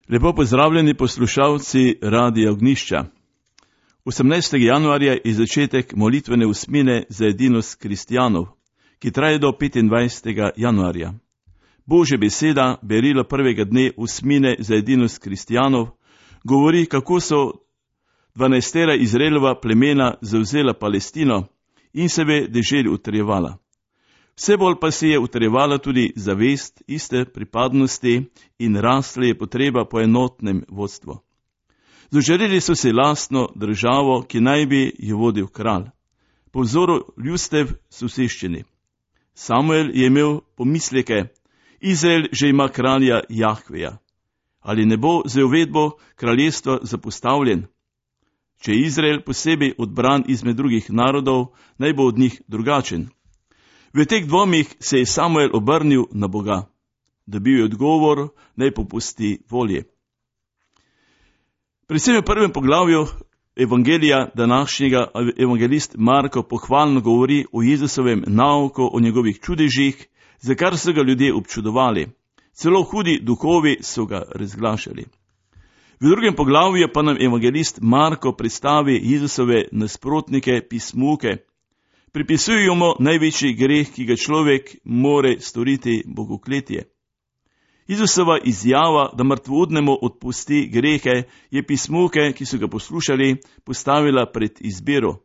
Lepo pozdravljeni poslušalci Radia Ognjišča. 18. januarja je začetek molitvene usmine za edinost kristjanov, ki traje do 25. januarja. Božja beseda, berilo prvega dne usmine za edinost kristjanov, govori, kako so 12 Izraelova plemena zavzela Palestino in sebe deželi utrjevala. Vse bolj pa se je utrjevala tudi zavest iste pripadnosti in rasla je potreba po enotnem vodstvu. Zaželeli so si lastno državo, ki naj bi jo vodil kralj, po vzoru ljudstev soseščini. Samuel je imel pomisleke, Izrael že ima kralja Jahveja. Ali ne bo z uvedbo kraljestva zapostavljen? Če je Izrael posebej odbran izmed drugih narodov, naj bo od njih drugačen. V teh dvomih se je Samuel obrnil na Boga. Dobil je odgovor, naj popusti volje. Predvsem v prvem poglavju evangelija današnjega evangelist Marko pohvalno govori o Jezusovem nauku, o njegovih čudežih, za kar so ga ljudje občudovali. Celo hudi duhovi so ga razglašali. V drugem poglavju pa nam evangelist Marko predstavi Jezusove nasprotnike, pismuke. Pripisujejo mu največji greh, ki ga človek more storiti, bogokletje. Jezusova izjava, da mrtvodnemu odpusti grehe, je pismuke, ki so ga poslušali, postavila pred izbiro.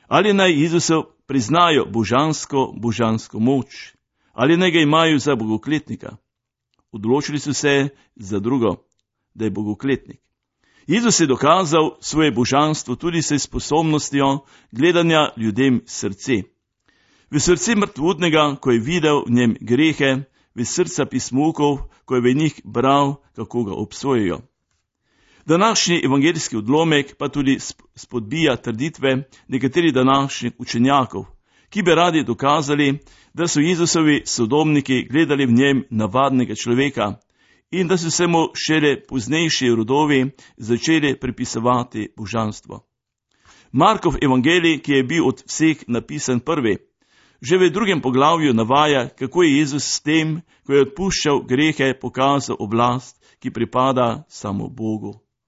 Ali naj Jezusu priznajo božansko moč, ali naj ga imajo za bogokletnika. Odločili so se za drugo, da je bogokletnik. Jezus je dokazal svoje božanstvo tudi s sposobnostjo gledanja ljudem srce. V srce mrtvodnega, ko je videl v njem grehe, v srca pismukov, ko je v njih bral, kako ga obsojajo. Današnji evangeljski odlomek pa tudi spodbija trditve nekaterih današnjih učenjakov, ki bi radi dokazali, da so Jezusovi sodobniki gledali v njem navadnega človeka in da so se mu šele poznejši rodovi začeli pripisovati božanstvo. Markov evangelij, ki je bil od vseh napisan prvi, že v drugem poglavju navaja, kako je Jezus s tem, ko je odpuščal grehe, pokazal oblast, ki pripada samo Bogu.